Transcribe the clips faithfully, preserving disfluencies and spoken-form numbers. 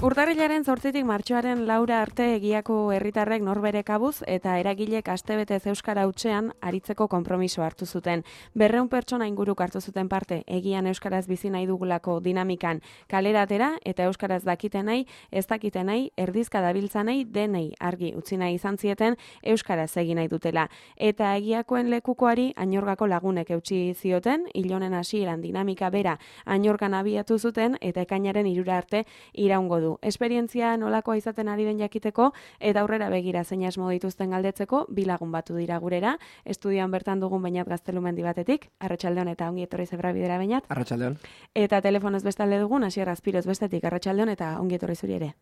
Urtarrilaren zortzitik martxoaren laura arte egiako herritarrek norbere kabuz eta eragilek astebetez euskara hutsean aritzeko konpromiso hartu zuten. Berreun pertsona inguruk hartu zuten parte egian euskaraz bizi nahi dugulako dinamikan kalera atera eta euskaraz dakiten nahi, ez dakiten nahi, erdizka dabiltza nahi, denei argi utzi nahi izan zieten euskaraz egin nahi dutela. Eta egiakoen lekukoari Añorgako lagunek eutsi zioten, ilonen hasieran dinamika bera Añorgan abiatu zuten eta ekainaren hirura arte iraungo du. Esperientzia nolakoa izaten ari den jakiteko eta aurrera begira zein asmo dituzten galdetzeko bi lagun batu dira gurera. Estudioan bertan dugun Beñat Gaztelumendi batetik, Arratsaldeon eta ongi etorri Zebrabidera Beñat. Arratsaldeon. Eta telefonoz bestalde dugun Asier Azpiroz bestetik, Arratsaldeon eta ongi etorri zuri ere.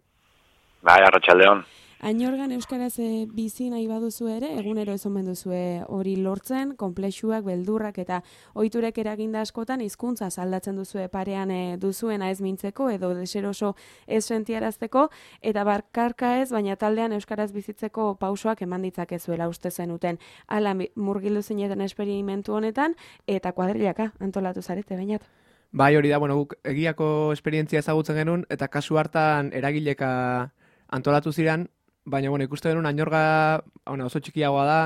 Bai, Arratsaldeon. Añorgan euskaraz e, bizi nahi baduzu ere, egunero ez omen duzue hori lortzen, konplexuak, beldurrak eta ohiturek eraginda askotan hizkuntza aldatzen duzue parean e, duzuena ez mintzeko edo deseroso ez sentiarazteko eta barkarka ez, baina taldean euskaraz bizitzeko pausoak eman ditzakezuela uste zenuten. Hala murgildu zineten esperimentu honetan eta kuadrilaka antolatu zarete, Beñat. Bai, hori da, bueno, guk egiako esperientzia ezagutzen genuen eta kasu hartan eragileka antolatu ziren. Baina, bueno, ikuste genuen Añorga bueno, oso txikiagoa da,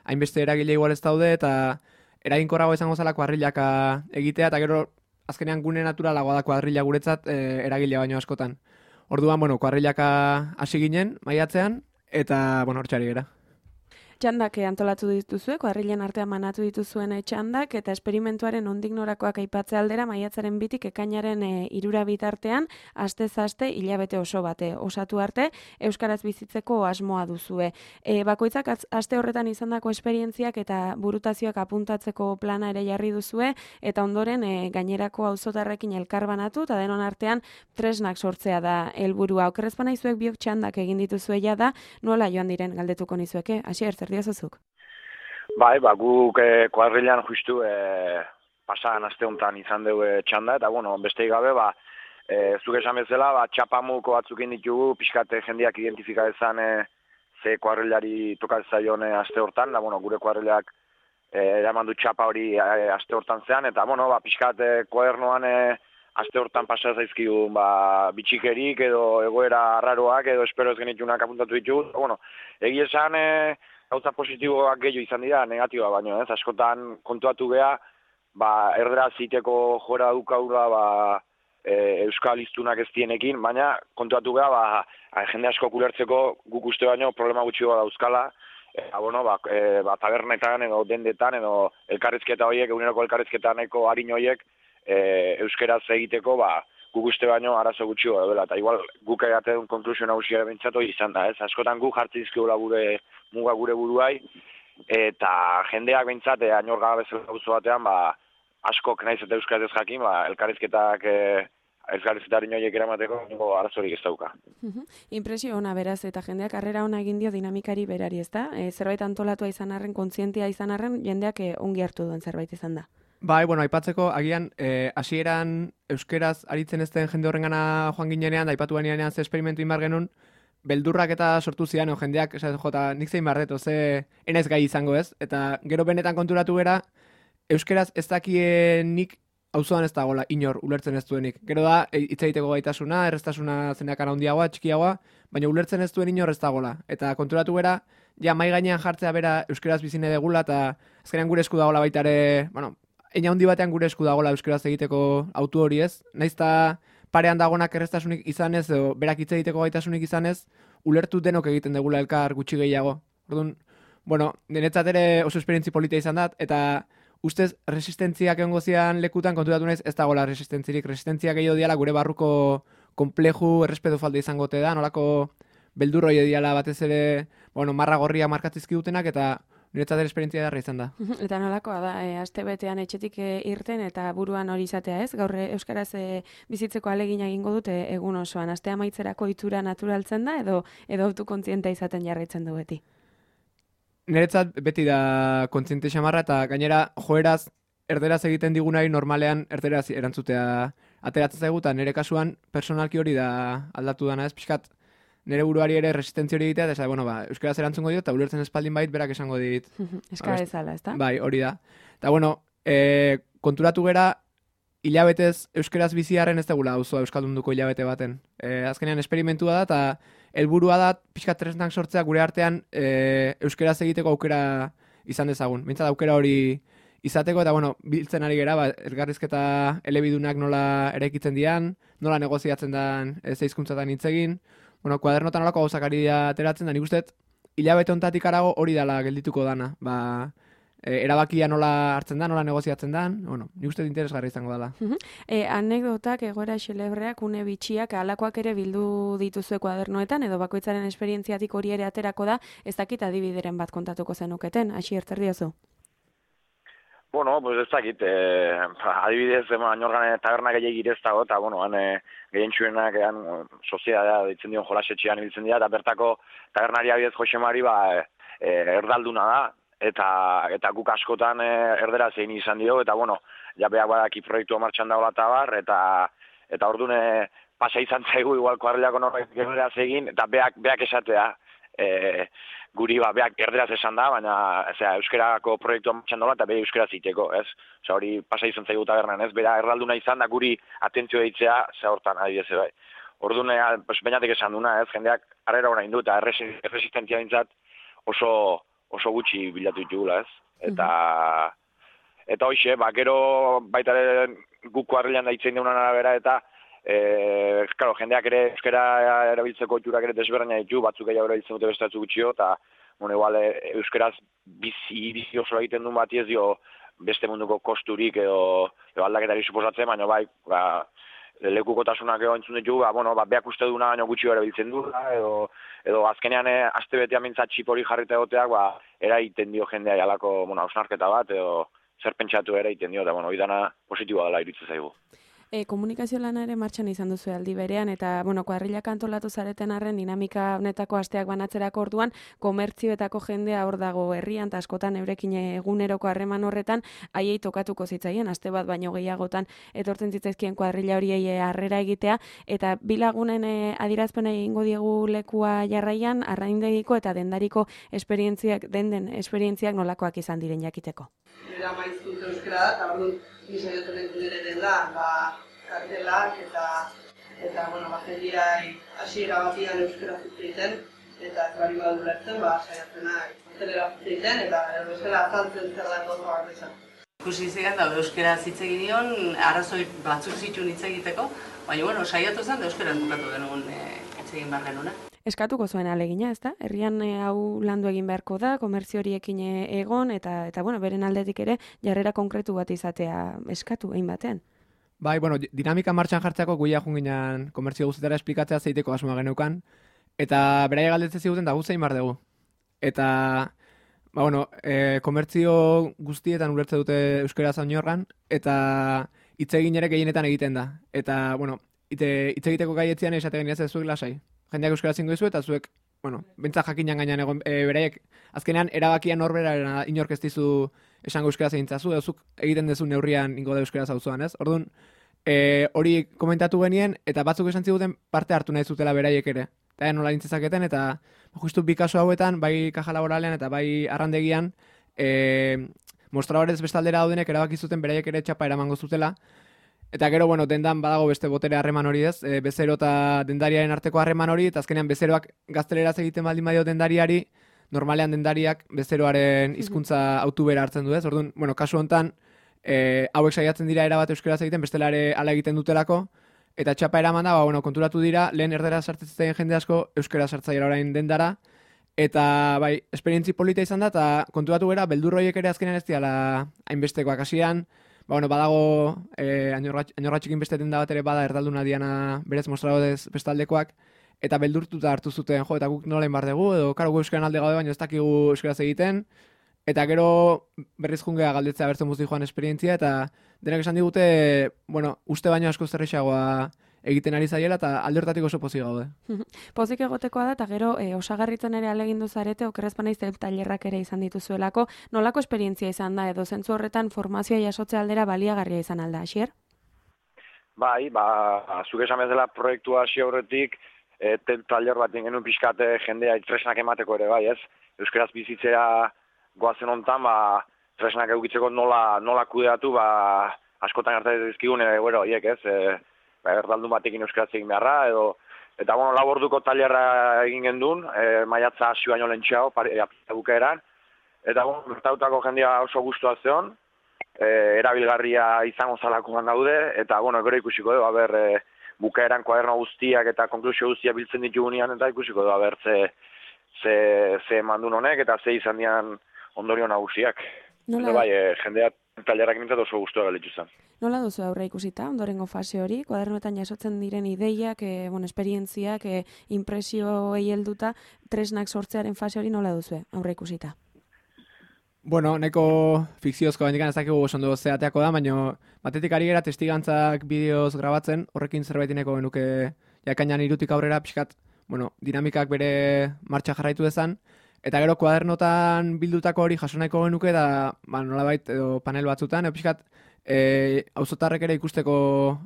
hainbeste eragile igual ez daude, eta eraginkorrago izango zela kuadrilaka egitea, eta gero azkenean gune naturalagoa da kuadrila guretzat e, eragile baino askotan. Orduan, bueno, kuadrilaka hasi ginen, maiatzean, eta, bueno, hortxari gera. Txandak antolatu dituzue, kuadrilen artean manatu dituzuen txandak, eta esperimentuaren ondik norakoak aipatze aldera, maiatzaren bitik ekainaren e, irura bitartean, astez aste hilabete oso bate osatu arte, euskaraz bizitzeko asmoa duzue. E, bakoitzak aste horretan izandako esperientziak eta burutazioak apuntatzeko plana ere jarri duzue, eta ondoren e, gainerako auzotarrekin elkarbanatu, eta denon artean tresnak sortzea da helburua. Okerrezpana izuek biok txandak egin dituzue da, nola joan diren galdetuko nizueke, Asier, zer diozuzuk? Bai, ba, guk eh, kuadrilan justu eh, pasadan aste honetan izan dugu eh, txanda, eta bueno, besteik gabe, ba, eh, zuk esan bezala, ba, txapamuko batzukin ditugu, pixkate jendeak identifika ezan eh, ze kuadrilari tokatzaion eh, aste hortan, da, bueno, gure kuadrilak eh, eraman du txapa hori eh, aste hortan zean, eta, bueno, ba, pixkate kuadernoan eh, aste hortan pasa zaizkigu, ba, bitxikerik edo egoera arraroak edo espero ez genitunak apuntatu ditugu, bueno, egia esan, eh, gauza positiboak gehiago izan dira, negatiboa baino, ez, askotan kontuatu geha, ba, erderaz iteko jora dukaura, ba, e, euskal iztunak ez dienekin, baina kontuatu geha, ba, jende asko kulertzeko guk uste baino problema gutxiago dauzkala, eta, bueno, ba, e, ba, tabernetan edo dendetan edo elkarrizketa horiek, eguneroko elkarrizketaneko harin horiek, e, euskeraz egiteko, ba, guk uste baino arazo gutxio dela, eta igual guk egaten konklusio nagusia bentsatu izan da, ez? Askotan guk jartzen dizkigula gure muga gure buruai, eta jendeak bentsat, e, Añorga bezala gauzo batean, ba, askok naiz eta euskaraz ez jakin, ba, elkarrizketak e, elkarrizketaren horiek eramateko arazorik ez dauka. Impresio ona beraz, eta jendeak harrera ona egin dio dinamikari berari, ez da? E, zerbait antolatua izan arren, kontzientia izan arren, jendeak e, ongi hartu duen zerbait izan da. Bai, bueno, aipatzeko, agian, eh, hasieran euskeraz aritzen ez den jende horrengana joan ginenean, aipatu ginenean ze esperimentu inbar genuen, beldurrak eta sortu zian, o, jendeak, esaten jota, nik zein barreto, ze enez gai izango ez, eta gero benetan konturatu gera, euskeraz ez dakien nik auzoan ez dagoela, inor, ulertzen ez duenik. Gero da, hitz egiteko gaitasuna, erreztasuna zeneakana handiagoa, txikiagoa, baina ulertzen ez duen inor ez dagoela. Eta konturatu gera, ja, mai gainean jartzea bera euskeraz bizine degula, eta azkenean gure esku dagoela baita ere, bueno, eina handi batean gure esku dagoela euskeraz egiteko autu hori ez, naizta parean dagonak erreztasunik izanez, edo berak hitz egiteko gaitasunik izanez, ulertu denok egiten degula elkar gutxi gehiago. Orduan, bueno, denetzat ere oso esperientzi polita izan dat, eta ustez resistentziak egongo zian lekutan konturatu naiz ez dagoela resistentzirik. Resistentzia gehiago diala gure barruko konpleju errespetu falta izango te da, nolako beldurroi diala batez ere, bueno, marra gorria markatzizki dutenak, eta niretzat ere esperientzia darra izan da. Eta nolakoa da, e, aste betean etxetik e, irten eta buruan hori izatea ez? Gaur euskaraz e, bizitzeko alegina egingo dute egun osoan. Aste amaitzerako itura naturaltzen da edo edo autokontziente izaten jarraitzen du beti? Niretzat beti da kontziente xamarra eta gainera joeraz erderaz egiten digunari normalean erderaz erantzutea ateratzen zaigu eta nire kasuan personalki hori da aldatu dana ez, pixkat nire buruari ere resistentzia hori egitea, eta bueno, ba, euskaraz erantzungo dio, eta ulertzen espaldin bait, berak esango dit. Eska bezala, ez da? Bai, hori da. Eta bueno, e, konturatu gera, hilabetez euskeraz biziarren ez degula auzoa euskaldunduko hilabete baten. E, azkenean esperimentua da, eta helburua da pixka tresnak sortzea gure artean e, euskeraz egiteko aukera izan dezagun. Bintzat aukera hori izateko, eta bueno, biltzen ari gera, ba, elgarrizketa elebidunak nola eraikitzen dian, nola negoziatzen dan ez hizkuntzatan hitz egin, bueno, kuadernotan nolako gauzak ari dira ateratzen, da nik uste hilabete hontatik arago hori dala geldituko dana. Ba, e, erabakia nola hartzen da, nola negoziatzen dan, bueno, nik uste interesgarri izango dela. E, anekdotak, egoera xelebreak, une bitxiak, alakoak ere bildu dituzue kuadernoetan, edo bakoitzaren esperientziatik hori ere aterako da, ez dakit adibideren bat kontatuko zenuketen, hasi erter diozu. Bueno, pues ez dakit, eh, adibidez, Añorgan taberna gehiagir ez dago, eta, bueno, han eh, gehien txuenak, han soziedadea ditzen dion jolasetxean ibiltzen dira, eta bertako tabernari abidez Josemari, ba, eh, erdalduna da, eta eta guk askotan eh, erdera zein izan dio, eta, bueno, ja beak badaki proiektua martxan dagoela eta bar, eta, eta orduan eh, pasa izan zaigu, igual kuadrilako norbait erderaz egin, eta beak, beak esatea, eh, guri ba, beak erderaz esan da, baina ezea, euskerako proiektua martxan dola eta bere euskera ziteko, ez? Osa, hori pasa izan zaigu tabernan, ez? Bera erralduna izan da guri atentzio deitzea ze hortan adibidez bai. Orduan, pues, bainatek esan duna, ez? Jendeak harrera orain du eta erresistentzia dintzat oso, oso gutxi bilatu ditugula, ez? Eta, eta hoxe, ba, gero baita guk kuadrilan da hitzen deunan arabera eta Eh, claro, jendeak ere euskera erabiltzeko oiturak ere desberdina ditu, batzuk gehiago erabiltzen dute beste batzuk gutxio, eta bueno, igual euskeraz bizi, bizi oso egiten duen bati ez dio beste munduko kosturik edo, edo aldaketari suposatzen, baina bai, ba, lekukotasunak edo entzun ditu, ba, bueno, ba, beak uste duna baino gutxio erabiltzen du, edo, edo azkenean eh, aste betean mintzat txip hori jarrita egoteak, ba, eraiten dio jendea jalako, bueno, hausnarketa bat, edo zer pentsatu eraiten dio, eta bueno, hori dana positiboa dela iruditzen zaigu. E, komunikazio lana ere martxan izan duzu aldi berean, eta, bueno, kuadrilak antolatu zareten arren dinamika honetako asteak banatzerako orduan, komertzioetako jendea hor dago herrian, eta askotan eurekin eguneroko harreman horretan, haiei tokatuko zitzaien, aste bat baino gehiagotan etortzen zitzaizkien kuadrilla horiei harrera egitea, eta bilagunen e, adirazpena egingo diegu lekua jarraian, arraindegiko eta dendariko esperientziak, den den esperientziak nolakoak izan diren jakiteko. Era maizkut euskera da, eta orduan gizaioten entzunere dela, ba, kartelak eta, eta, bueno, ba, jendiai hasiera batian euskera zitzeiten, eta ez bari badu lertzen, ba, saiatzenak kartelera zitzeiten, eta euskera azaltzen zer da gozo bat izan. Ikusi zegan da, euskera zitzegin dion, arrazoi batzuk zituen hitz egiteko, baina, bueno, saiatu zen, da euskera bukatu genuen hitz egin behar genuen. Eskatuko zuen alegina, ezta? Herrian e, hau landu egin beharko da, komertzio horiekin egon, eta, eta bueno, beren aldetik ere, jarrera konkretu bat izatea eskatu egin batean. Bai, bueno, dinamika martxan jartzeako guia junginan komertzio guztetara esplikatzea zeiteko asmoa geneukan, eta beraia galdetzen ziguten da guztein bar dugu. Eta, ba, bueno, e, komertzio guztietan ulertze dute euskera Añorgan, eta hitz egin ere gehienetan egiten da. Eta, bueno, hitz egiteko gaietzean esate geniaz ez zuek lasai. Jendeak euskara zingo izu eta zuek, bueno, bentsa jakinan gainean egon, e, beraiek, azkenean erabakia norberaren inork ez dizu esango euskara zeintzazu, edo zuk egiten dezu neurrian ingo da euskara zauzuan, ez? Orduan, e, hori komentatu genien, eta batzuk esan ziguten parte hartu nahi zutela beraiek ere. Eta nola nintzezaketen, eta justu bi kasu hauetan, bai kaja laboralean eta bai arrandegian, e, mostradorez bestaldera daudenek erabaki zuten beraiek ere txapa eramango zutela. Eta gero, bueno, dendan badago beste botere harreman hori ez, e, bezero eta dendariaren arteko harreman hori, eta azkenean bezeroak gazteleraz egiten baldin badio dendariari, normalean dendariak bezeroaren hizkuntza autu bera hartzen du ez. Orduan, bueno, kasu hontan, e, hauek saiatzen dira erabat euskaraz egiten, bestelare ala egiten dutelako, eta txapa eraman da, ba, bueno, konturatu dira, lehen erdera sartzen jende asko, euskara sartzaiera orain dendara, eta bai, esperientzi polita izan da, eta konturatu gara, beldurroiek ere azkenean ez diala hainbestekoak hasian. Ba, bueno, badago, eh, añorratxikin beste denda bat ere bada erdalduna diana berez mostradorez bestaldekoak, eta beldurtuta hartu zuten, jo, eta guk nola inbar dugu, edo, karo, gu euskaran alde gaude, baina ez dakigu euskaraz egiten, eta gero berriz jungea galdetzea bertzen guzti joan esperientzia, eta denak esan digute, bueno, uste baino asko zerrexagoa egiten ari zaiela, eta alde hortatik oso pozik gaude. Pozik egotekoa da, eta gero e, osagarritzen ere alegindu zarete, okerrezpan aiz tailerrak ere izan dituzuelako, nolako esperientzia izan da, edo zentzu horretan formazioa jasotzea aldera baliagarria izan alda, Asier? Bai, ba, zuk esan bezala proiektua hasi aurretik, e, tailer bat genuen pixkate jendea tresnak emateko ere, bai, ez? Euskaraz bizitzera goazen hontan, ba, tresnak eukitzeko nola, nola kudeatu, ba, askotan gertatzen dizkigun, e, bueno, hiek ez, e, erdaldun batekin euskaraz egin beharra, edo, eta, bueno, lau orduko tailerra egin gendun, e, maiatza hasi baino lentxeago, bukaeran, eta, bueno, gertatutako jendia oso gustua zeon, e, erabilgarria izango zalakoan daude, eta, bueno, gero ikusiko dugu, haber, e, bukaeran kuaderno guztiak eta konklusio guztiak biltzen ditugunean, eta ikusiko dugu, haber, ze, ze, ze mandun honek, eta ze izan dian ondorio nagusiak. Nola... Bai, e, jendeak tailerrak mintzat oso gustua galitu zen. Nola duzu aurre ikusita, ondorengo fase hori, kuadernoetan jasotzen diren ideiak, e, bon, esperientziak, e, impresioei helduta, tresnak sortzearen fase hori nola duzu aurre ikusita? Bueno, neko fikziozko bendikan ez dakigu oso ondo zeateako da, baina batetik ari gara testigantzak bideoz grabatzen, horrekin zerbaitineko genuke jakainan irutik aurrera pixkat, bueno, dinamikak bere martxa jarraitu dezan, eta gero kuadernotan bildutako hori jaso nahiko genuke da, ba, nolabait edo panel batzutan, edo pixkat, e, auzotarrek ere ikusteko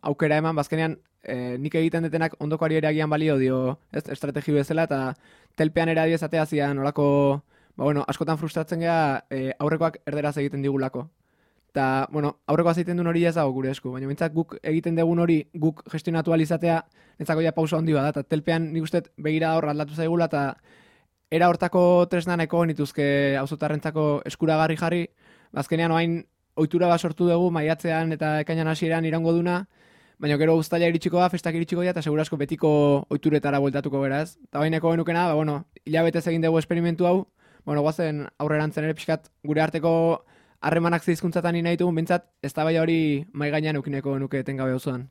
aukera eman, bazkenean e, nik egiten detenak ondokoari ere agian balio dio, ez, estrategi bezala, eta telpean ere adiezatea zian nolako... Ba, bueno, askotan frustratzen geha e, aurrekoak erderaz egiten digulako. Eta, bueno, aurrekoaz egiten duen hori ez dago gure esku, baina bintzat guk egiten dugun hori guk gestionatu alizatea netzako ja pausa handi bada, eta telpean nik uste begira hor aldatu zaigula, eta era hortako tresna nahiko nituzke auzotarrentzako eskuragarri jarri, bazkenean oain ohitura bat sortu dugu maiatzean eta ekainan hasieran iraungo duna, baina gero uztaila iritsiko da, festak iritsiko da, eta segurasko betiko ohituretara bueltatuko gara ez. Eta baineko genukena, ba, bueno, hilabetez egin dugu esperimentu hau, bueno, guazen aurrerantzen ere pixkat gure arteko harremanak zehizkuntzatan nahi ditugun, bintzat, ez da bai hori mai gainean eukineko nuke etengabe auzoan.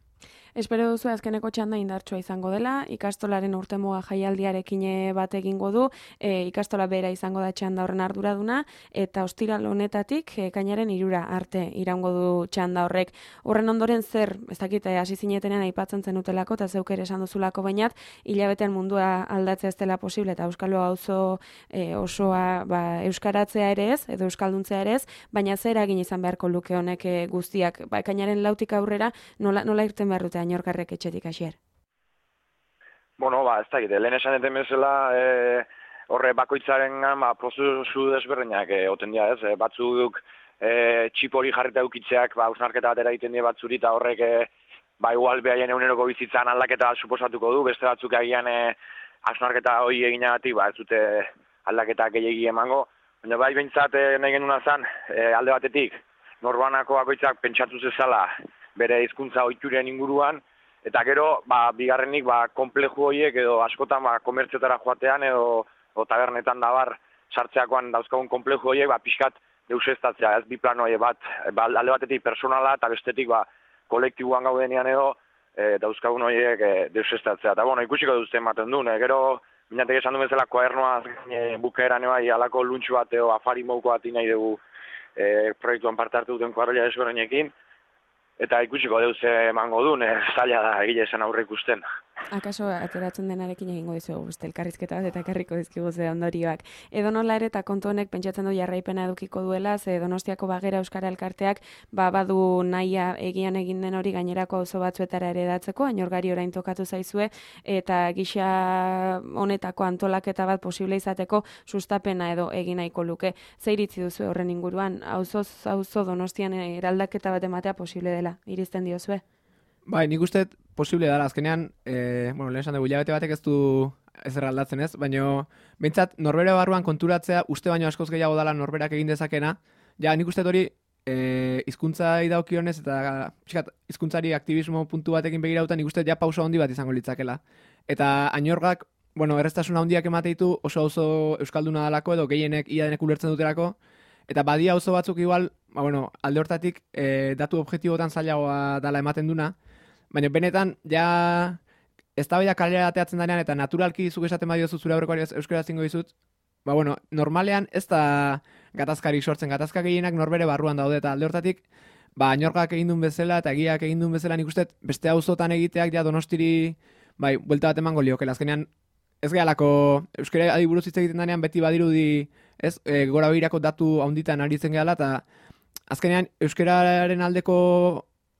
Espero duzu azkeneko txanda indartsua izango dela, ikastolaren urtemuga jaialdiarekin bat egingo du, e, ikastola bera izango da txanda horren arduraduna, eta ostiral honetatik e, kainaren irura arte iraungo du txanda horrek. Horren ondoren zer, ez dakit, hasi zinetenean aipatzen zenutelako, eta zeuk ere esan duzulako bainat, hilabetean mundua aldatzea ez dela posible, eta Euskalo auzo e, osoa ba, euskaratzea ere ez, edo euskalduntzea ere ez, baina zer egin izan beharko luke honek e, guztiak, ba, kainaren lautik aurrera, nola, nola irten behar dute Añorkarrek etxetik hasier? Bueno, ba, ez da egite, lehen esan eten bezala, e, horre bakoitzaren ba, prozesu desberdinak e, oten dira, ez? E, batzuk e, txip hori jarrita eukitzeak, ba, ausnarketa batera egiten dira batzuri, eta horrek, e, ba, igual behaien eguneroko bizitzan aldaketa suposatuko du, beste batzuk agian e, ausnarketa hori eginagatik, ba, ez dute aldaketa gehiagi emango, baina bai behintzat e, nahi genuna zen, e, alde batetik, norbanako bakoitzak pentsatu zezala, bere hizkuntza ohituren inguruan, eta gero, ba, bigarrenik, ba, konpleju horiek edo askotan ba, komertziotara joatean edo o, tabernetan dabar sartzeakoan dauzkagun konpleju horiek, ba, pixkat deusestatzea, ez bi plano horiek bat, ba, alde batetik personala eta bestetik ba, kolektiboan gaudenean edo e, dauzkagun horiek e, deusestatzea. Eta, bueno, ikusiko duzten ematen duen, e, gero, minatek esan du bezala koadernoa e, bukaeran bai, alako luntxu bat edo afari mouko bat nahi dugu e, proiektuan parte hartu duten kuadrilla desberdinekin, eta ikusiko deuz emango duen, e, zaila da egile esan aurre ikusten. Akaso ateratzen denarekin egingo dizugu beste elkarrizketa bat eta ekarriko dizkigu ze ondorioak. Edo nola ere eta kontu honek pentsatzen du jarraipena edukiko duela, ze Donostiako Bagera Euskara Elkarteak ba badu nahia egian egin den hori gainerako auzo batzuetara ere hedatzeko, Añorgari orain tokatu zaizue eta gisa honetako antolaketa bat posible izateko sustapena edo egin nahiko luke. Ze iritzi duzu horren inguruan, auzoz auzo Donostian eraldaketa bat ematea posible dela, irizten diozue? Bai, nik uste posible dara, azkenean, e, bueno, lehen esan dugu, hilabete batek ez du ez erraldatzen ez, baina behintzat norbere barruan konturatzea uste baino askoz gehiago dala norberak egin dezakena, ja nik uste hori e, hizkuntzai daukionez eta pixkat, hizkuntzari aktivismo puntu batekin begirauta nik uste ja pausa handi bat izango litzakela. Eta Añorgak, bueno, erreztasuna handiak emate ditu oso auzo euskalduna dalako edo gehienek ia denek ulertzen duterako, eta badia auzo batzuk igual, ba, bueno, alde hortatik e, datu objektibotan zailagoa dala ematen duna, baina benetan, ja, ez da baida kalera ateatzen danean, eta naturalki zuk esaten badiozu zure aurrekoari euskara zingo dizut, ba, bueno, normalean ez da gatazkarik sortzen, gatazka gehienak norbere barruan daude, eta alde hortatik, ba, Añorgak egin duen bezala, eta egiak egin duen bezala, nik uste, beste auzotan egiteak, ja, Donostiri, bai, buelta bat emango liokela, azkenean, ez gehalako, euskara adiburuz hitz egiten danean, beti badirudi, ez, e, gora begirako datu handitan aritzen gehala, eta azkenean, euskararen aldeko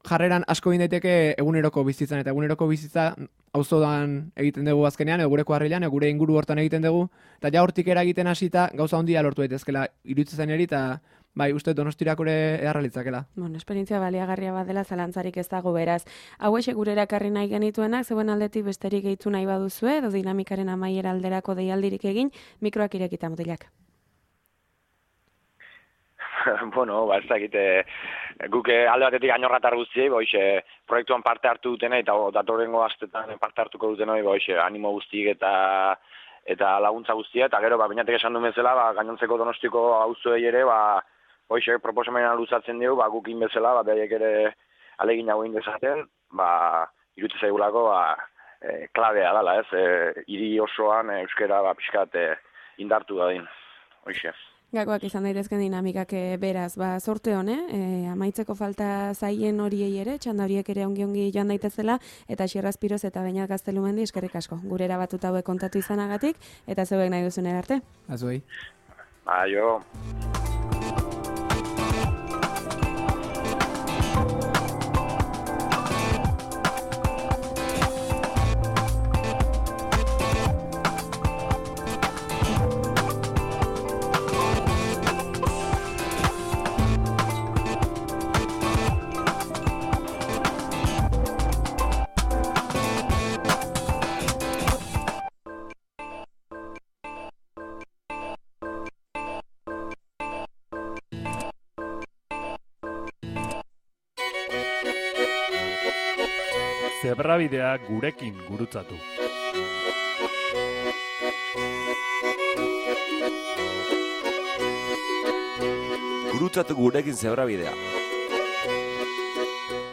jarreran asko egin daiteke eguneroko bizitzan, eta eguneroko bizitza auzodan egiten dugu azkenean, edo gure kuadrilan, edo gure inguru hortan egiten dugu, eta ja hortik eragiten hasita gauza handia lortu daitezkela iruditzen eri, eta bai, uste Donostirak ere eharra litzakela. Bueno, esperientzia baliagarria bat dela zalantzarik ez dago beraz. Hauexek gure erakarri nahi genituenak, zeuen aldetik besterik gehitu nahi baduzue, edo dinamikaren amaiera alderako deialdirik egin, mikroak irekita mutilak. Bueno, ba, ez dakit, guk alde batetik ainorratar guztiei, boixe, proiektuan parte hartu dutena, eta datorrengo astetan parte hartuko dutenoi, boixe, animo guztiek eta eta laguntza guztia, eta gero, ba, binatek esan duen bezala, ba, gainontzeko Donostiko auzoei ere, ba, boixe, proposamena luzatzen dugu, ba, gukin bezala, ba, behaiek ere alegin hau dezaten, ba, irutze zaigulako, ba, e, klabea dala, ez, e, hiri osoan e, euskera, ba, pixkat e, indartu dadin, boixe. Gakoak izan daitezken dinamikak beraz, ba, sorte hone, e, amaitzeko falta zaien horiei ere, txanda horiek ere ongi-ongi joan daitezela, eta Xierraz Piroz eta Beñat Gaztelumendi eskerrik asko. Gure erabatut hauek kontatu izanagatik, eta zeuek nahi duzun arte. Azuei. Ba, jo... Zebrabidea gurekin gurutzatu. Gurutzatu gurekin zebrabidea.